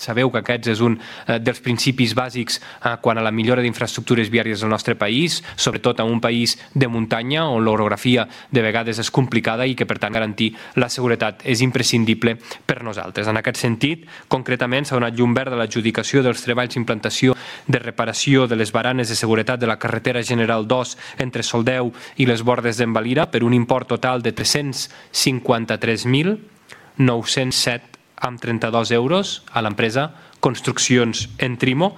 Sabeu que aquests és un dels principis bàsics quan a la millora d'infraestructures viàries del nostre país, sobretot en un país de muntanya on l'orografia de vegades és complicada i que per tant garantir la seguretat és imprescindible per nosaltres. En aquest sentit, concretament s'ha donat llum verd a l'adjudicació dels treballs d'implantació de reparació de les baranes de seguretat de la carretera General 2 entre Soldeu i les Bordes d'en Valira per un import total de 353.907 amb 32 euros a l'empresa Construccions Entrimo.